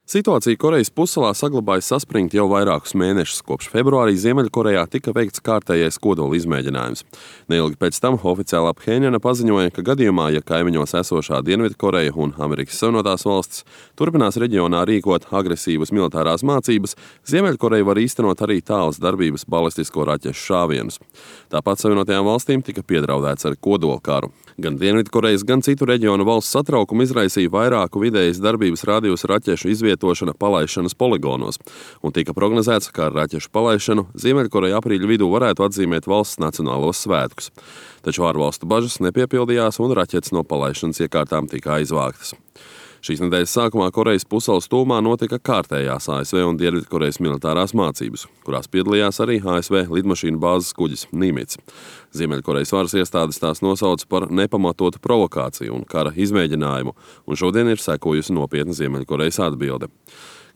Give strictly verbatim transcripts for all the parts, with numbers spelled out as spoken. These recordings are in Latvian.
Situācija Korejas pussalā saglabājas saspringta jau vairākus mēnešus. Kopš februārī Ziemeļkorejā tika veikts kārtējais kodola izmēģinājums. Neilgi pēc tam oficiālā Phenjana paziņoja, ka gadījumā, ja kaimiņos esošā Dienvidkoreja un Amerikas Savienotās valstis turpinās reģionā rīkot agresīvas militārās mācības, Ziemeļkoreja var īstenot arī tālas darbības balistisko raķešu šāvienus. Tāpat Savienotajām valstīm tika piedraudēts ar kodolkaru. Gan Dienvidkorejas, gan citu reģionu valsts satraukumu izraisīja vairāku vidējas darbības rādījusa raķešu izvietošana palaišanas poligonos, un tika prognozēts, ka ar raķešu palaišanu Ziemeļkoreja aprīļa vidū varētu atzīmēt valsts nacionālos svētkus. Taču ārvalstu bažas nepiepildījās, un raķetes no palaišanas iekārtām tika aizvāktas. Šīs nedēļas sākumā Korejas pussalas tūmā notika kārtējās A S V un Dienvidkorejas militārās mācības, kurās piedalījās arī A S V lidmašīnu bāzes kuģis Nīmits. Ziemeļkorejas varas iestādes tās nosauca par nepamatotu provokāciju un kara izmēģinājumu, un šodien ir sekojusi nopietna Ziemeļkorejas atbilde.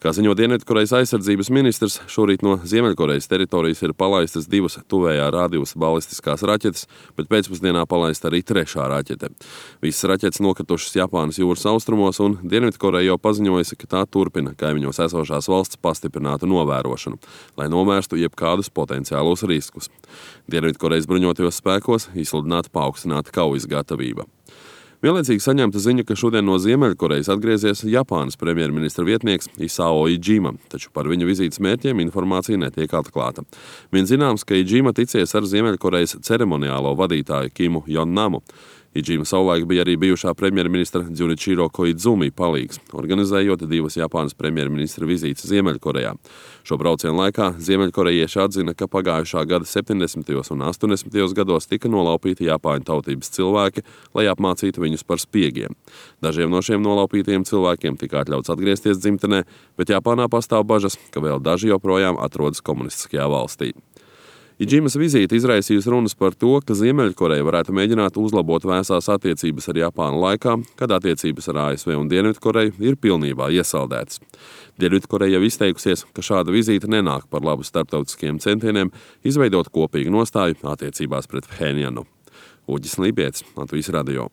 Kā ziņo Dienvidkorejas aizsardzības ministrs, šorīt no Ziemeļkorejas teritorijas ir palaistas divas tuvējā rādījusa balistiskās raķetes, bet pēcpusdienā palaista arī trešā raķete. Visas raķetes nokritušas Japānas jūras austrumos, un Dienvidkoreja jau paziņojusi, ka tā turpina kaimiņos esošās valsts pastiprinātu novērošanu, lai novērstu jebkādus potenciālos riskus. Dienvidkorejas bruņotajos spēkos izsludināta paaugstināta kaujas gatavība. Vienlaicīgi saņemta ziņa, ka šodien no Ziemeļkorejas atgriezies Japānas premjerministra vietnieks Isao Iijima, taču par viņa vizītes mērķiem informācija netiek atklāta. Vien zināms, ka Iijima ticies ar Ziemeļkorejas ceremoniālo vadītāju Kimu Jonnamu. Iijima savulaik bija arī bijušā premjerministra Junichiro Koizumi palīgs, organizējot divas Japānas premjerministra vizītes Ziemeļkorejā. Šo braucienu laikā ziemeļkorejieši atzina, ka pagājušā gada septiņdesmitajos un astoņdesmitajos gados tika nolaupīti Japāņu tautības cilvēki, lai apmācītu viņus par spiegiem. Dažiem no šiem nolaupītajiem cilvēkiem tika atļauts atgriezties dzimtenē, bet Japānā pastāv bažas, ka vēl daži joprojām atrodas komunistiskajā valstī. Iijimas vizīte izraisījusi runas par to, ka Ziemeļkoreja varētu mēģināt uzlabot vēsās attiecības ar Japānu laikā, kad attiecības ar A S V un Dienvidkoreju ir pilnībā iesaldētas. Dienvidkoreja jau izteikusies, ka šāda vizīte nenāk par labu starptautiskiem centieniem izveidot kopīgu nostāju attiecībās pret Phenjanu. Uģis Lībietis, Latvijas radio.